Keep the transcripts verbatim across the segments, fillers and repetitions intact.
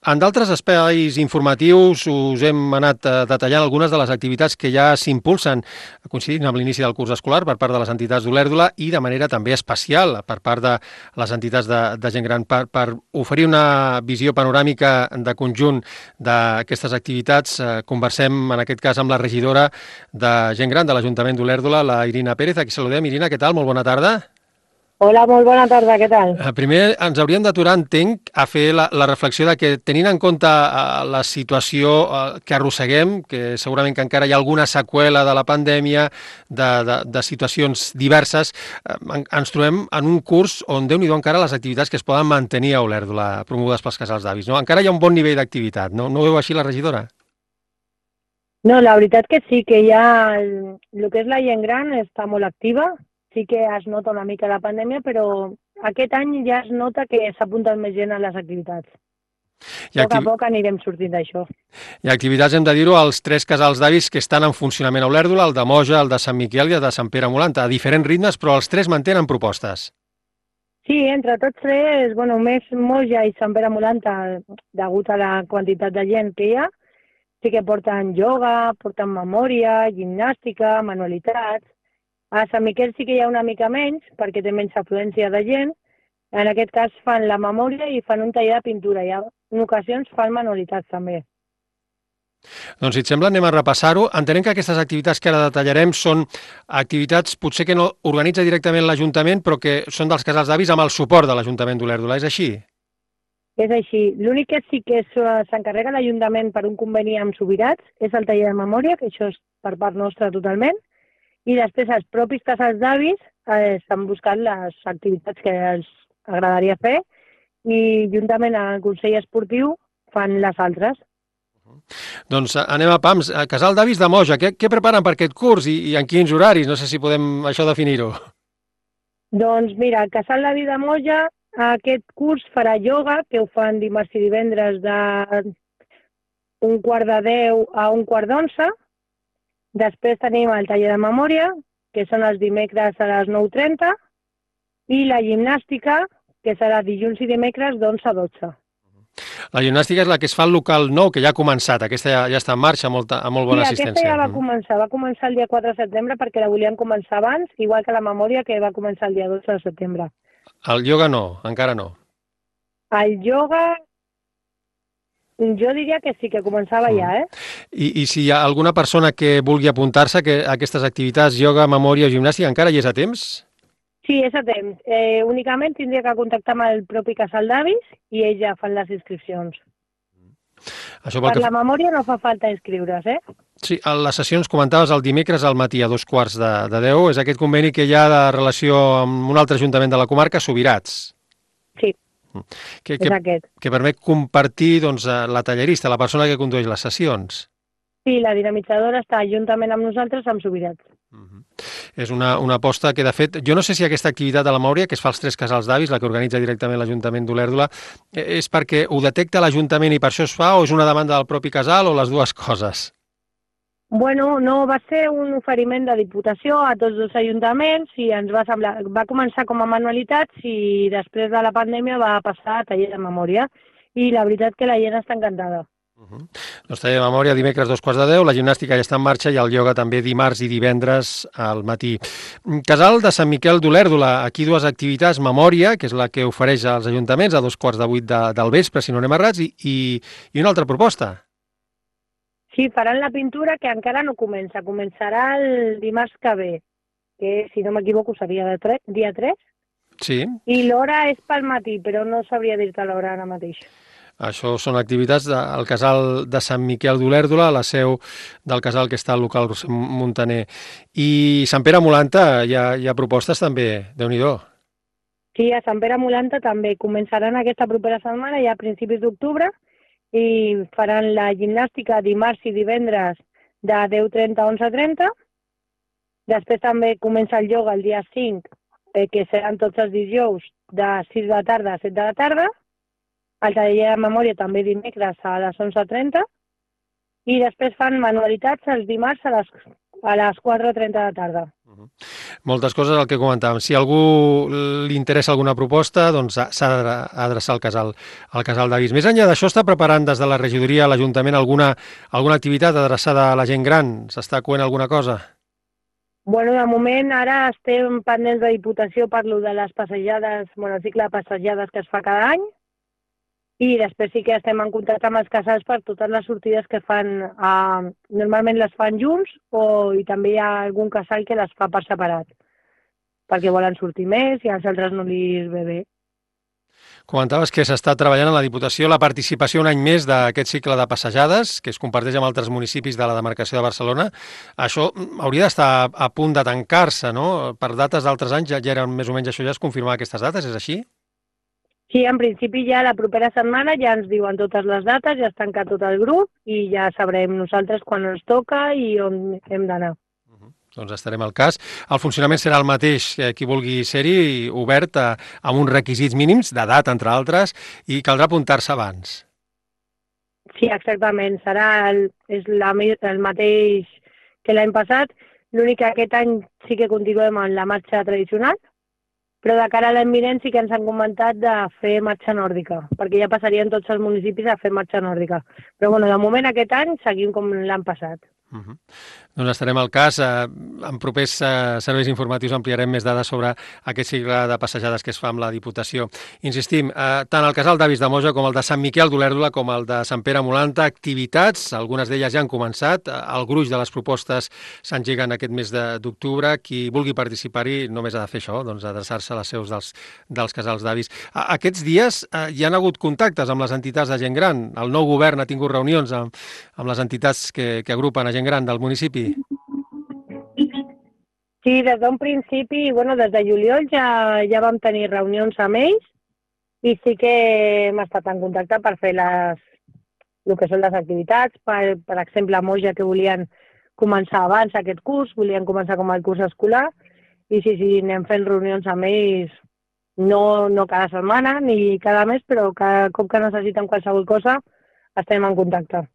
En d'altres espais informatius us hem anat eh, detallant algunes de les activitats que ja s'impulsen, coincidint amb l'inici del curs escolar per part de les entitats d'Olèrdola i de manera també especial per part de les entitats de, de gent gran per, per oferir una visió panoràmica de conjunt d'aquestes activitats. Eh, conversem en aquest cas amb la regidora de gent gran de l'Ajuntament d'Olèrdola, la Irina Pérez. Aquí saludem. Irina, què tal? Molt bona tarda. Hola, molt bona tarda, què tal? Eh, Primer ens hauríem d'aturar, entenc, a fer la, la reflexió de que, tenint en compte eh, la situació eh, que arrosseguem, que segurament que encara hi ha alguna seqüela de la pandèmia, de, de, de situacions diverses, eh, en, ens trobem en un curs on, Déu-n'hi-do, encara les activitats que es poden mantenir a Olèrdola, promogudes pels casals d'avis, no? Encara hi ha un bon nivell d'activitat, no? No ho veu així la regidora? No, la veritat que sí, que ja el, el que és la gent gran està molt activa, sí que es nota una mica la pandèmia, però aquest any ja es nota que s'apunten més gent a les activitats. Hi A ha, poc a activ... poc anirem sortint d'això. hi ha activitats, hem de dir-ho, als tres casals d'avis que estan en funcionament a Olèrdola, el de Moja, el de Sant Miquel i el de Sant Pere Molanta, a diferents ritmes, però els tres mantenen propostes. Sí, entre tots tres, bueno, més Moja i Sant Pere Molanta, degut a la quantitat de gent que hi ha, sí que porten ioga, porten memòria, gimnàstica, manualitats. A Sant Miquel sí que hi ha una mica menys, perquè té menys afluència de gent. En aquest cas fan la memòria i fan un taller de pintura. I en ocasions fan manualitats també. Doncs, si et sembla, anem a repassar-ho. Entenem que aquestes activitats que ara detallarem són activitats potser que no organitza directament l'Ajuntament, però que són dels casals d'avis amb el suport de l'Ajuntament d'Olèrdola. És així? És així. L'únic que sí que s'encarrega l'Ajuntament per un conveni amb Subirats és el taller de memòria, que això és per part nostra totalment, i després els propis casals d'avis eh, s'han buscat les activitats que els agradaria fer i juntament amb el Consell Esportiu fan les altres. Doncs anem a pams. Casal d'avis de Moja, què, què preparen per aquest curs i, i en quins horaris? No sé si podem això definir-ho. Doncs mira, el Casal d'avis de Moja aquest curs farà ioga, que ho fan dimarts i divendres de un quart de deu a un quart d'onze. Després tenim el taller de memòria, que són els dimecres a les nou trenta, i la gimnàstica, que serà dilluns i dimecres d'onze a dotze. La gimnàstica és la que es fa al local nou, que ja ha començat. Aquesta ja, ja està en marxa, amb molta, amb molt bona sí, assistència. Aquesta ja va començar. Va començar el dia quatre de setembre perquè la volíem començar abans, igual que la memòria, que va començar el dia dotze de setembre. El ioga no, encara no. El ioga, jo diria que sí, que començava mm. ja, eh? I, I si hi ha alguna persona que vulgui apuntar-se a aquestes activitats, ioga, memòria o gimnàstica, encara hi és a temps? Sí, és a temps. Eh, únicament tindria que contactar amb el propi casal d'avis i ells ja fan les inscripcions. Això per que... la memòria no fa falta inscriure's, eh? Sí, a les sessions comentaves el dimecres al matí a dos quarts de, de deu. És aquest conveni que hi ha de relació amb un altre ajuntament de la comarca, Subirats. Sí, que, és que, aquest. Que permet compartir doncs, la tallerista, la persona que condueix les sessions. Sí, la dinamitzadora està juntament amb nosaltres amb Subirats. Uh -huh. És una, una aposta que, de fet, jo no sé si aquesta activitat de la memòria, que es fa als tres casals d'avis, la que organitza directament l'Ajuntament d'Olèrdola, és perquè ho detecta l'Ajuntament i per això es fa, o és una demanda del propi casal, o les dues coses? Bueno, no, va ser un oferiment de Diputació a tots dos ajuntaments i ens va semblar, va començar com a manualitats i després de la pandèmia va passar a taller de memòria i la veritat que la gent està encantada. Uh -huh. Doncs taller de memòria dimecres dos quarts de deu, la gimnàstica ja està en marxa i el ioga també dimarts i divendres al matí. Casal de Sant Miquel d'Olèrdola, aquí dues activitats, memòria, que és la que ofereix als ajuntaments a dos quarts de vuit de, del vespre, si no anem errats, i, i, i una altra proposta. Sí, faran la pintura que encara no comença, començarà el dimarts que ve, que si no m'equivoco seria de tre dia tres. Sí. I l'hora és pel matí, però no sabria dir-te l'hora ara mateix. Això són activitats del casal de Sant Miquel d'Olèrdola, la seu del casal que està al local Montaner. I Sant Pere Molanta, hi ha, hi ha propostes també, Déu-n'hi-do. Sí, a Sant Pere Molanta també començaran aquesta propera setmana, ja a principis d'octubre, i faran la gimnàstica dimarts i divendres de deu trenta a onze trenta. Després també comença el ioga el dia cinc, eh, que seran tots els dijous de sis de la tarda a set de la tarda. El taller de memòria també dimecres a les onze trenta i després fan manualitats els dimarts a les, a les quatre i trenta de la tarda. Uh-huh. Moltes coses, el que comentàvem. Si a algú li interessa alguna proposta, doncs s'ha d'adreçar al casal, al casal d'avis. Més enllà d'això, està preparant des de la regidoria, l'Ajuntament, alguna, alguna activitat adreçada a la gent gran? S'està coent alguna cosa? Bueno, de moment ara estem pendents de Diputació per lo de les passejades, bueno, el cicle de passejades que es fa cada any, i després sí que estem en contacte amb els casals per totes les sortides que fan, eh, normalment les fan junts, o, i també hi ha algun casal que les fa per separat, perquè volen sortir més i als altres no li ve bé. Comentaves que s'està treballant a la Diputació la participació un any més d'aquest cicle de passejades, que es comparteix amb altres municipis de la demarcació de Barcelona. Això hauria d'estar a punt de tancar-se, no? Per dates d'altres anys ja, ja eren més o menys això, ja es confirmava aquestes dates, és així? Sí, en principi ja la propera setmana ja ens diuen totes les dates, ja es tanca tot el grup i ja sabrem nosaltres quan ens toca i on hem d'anar. Doncs estarem al cas. El funcionament serà el mateix, qui vulgui ser-hi, obert a, amb uns requisits mínims, d'edat, entre altres, i caldrà apuntar-se abans. Sí, exactament. Serà el, és la, el mateix que l'any passat. L'únic que aquest any sí que continuem amb la marxa tradicional, però de cara a l'any vinent sí que ens han comentat de fer marxa nòrdica, perquè ja passarien tots els municipis a fer marxa nòrdica. Però bueno, de moment aquest any seguim com l'any passat. Uh-huh. Doncs estarem al cas. En propers serveis informatius ampliarem més dades sobre aquest cicle de passejades que es fa amb la Diputació. Insistim, tant el casal d'avis de Moja com el de Sant Miquel d'Olèrdola com el de Sant Pere Molanta, activitats, algunes d'elles ja han començat, el gruix de les propostes s'engeguen aquest mes d'octubre. Qui vulgui participar-hi només ha de fer això, doncs adreçar-se a les seus dels, dels casals d'avis. Aquests dies hi han hagut contactes amb les entitats de gent gran. El nou govern ha tingut reunions amb, amb les entitats que, que agrupen a gent gran del municipi? Sí, des d'un principi, bueno, des de juliol ja, ja vam tenir reunions amb ells i sí que hem estat en contacte per fer les, el que són les activitats. Per, per exemple, a Moja, que volien començar abans aquest curs, volien començar com el curs escolar, i sí, sí, anem fent reunions amb ells, no, no cada setmana ni cada mes, però cada cop que necessiten qualsevol cosa estem en contacte.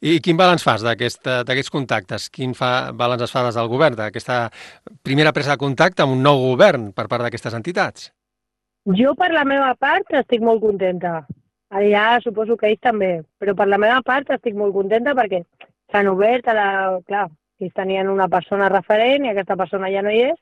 I quin balanç fas d'aquests contactes? Quin fa, balanç es fa des del govern, d'aquesta primera presa de contacte amb un nou govern per part d'aquestes entitats? Jo, per la meva part, estic molt contenta. Allà suposo que ells també, però per la meva part estic molt contenta perquè s'han obert a la... Clar, ells tenien una persona referent i aquesta persona ja no hi és,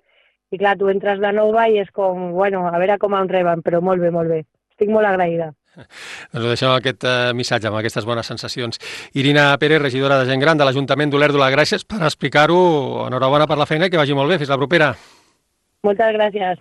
i clar, tu entres de nova i és com, bueno, a veure com em reben, però molt bé, molt bé. Estic molt agraïda. Doncs ho deixem amb aquest uh, missatge, amb aquestes bones sensacions. Irina Pérez, regidora de Gent Gran de l'Ajuntament d'Olèrdola, gràcies per explicar-ho. Enhorabona per la feina i que vagi molt bé. Fins la propera. Moltes gràcies.